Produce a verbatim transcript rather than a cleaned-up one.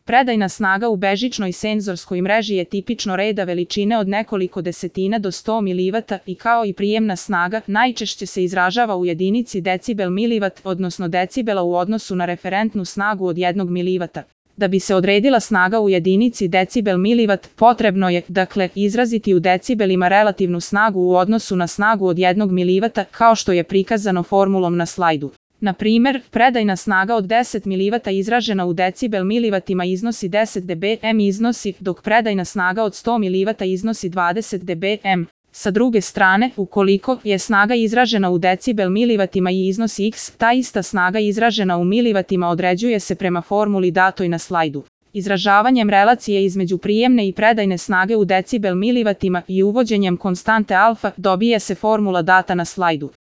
Predajna snaga u bežičnoj senzorskoj mreži je tipično reda veličine od nekoliko desetina do sto milivatova i kao i prijemna snaga najčešće se izražava u jedinici decibel milivat, odnosno decibela u odnosu na referentnu snagu od jednog milivata. Da bi se odredila snaga u jedinici decibel milivat, potrebno je, dakle, izraziti u decibelima relativnu snagu u odnosu na snagu od jednog milivata, kao što je prikazano formulom na slajdu. Na primer, predajna snaga od deset milivatova izražena u decibel milivatima iznosi deset decibela iznosi, dok predajna snaga od sto milivatova iznosi dvadeset decibela. Sa druge strane, ukoliko je snaga izražena u decibel milivatima i iznosi x, ta ista snaga izražena u milivatima određuje se prema formuli datoj na slajdu. Izražavanjem relacije između prijemne i predajne snage u decibel milivatima i uvođenjem konstante alfa dobije se formula data na slajdu.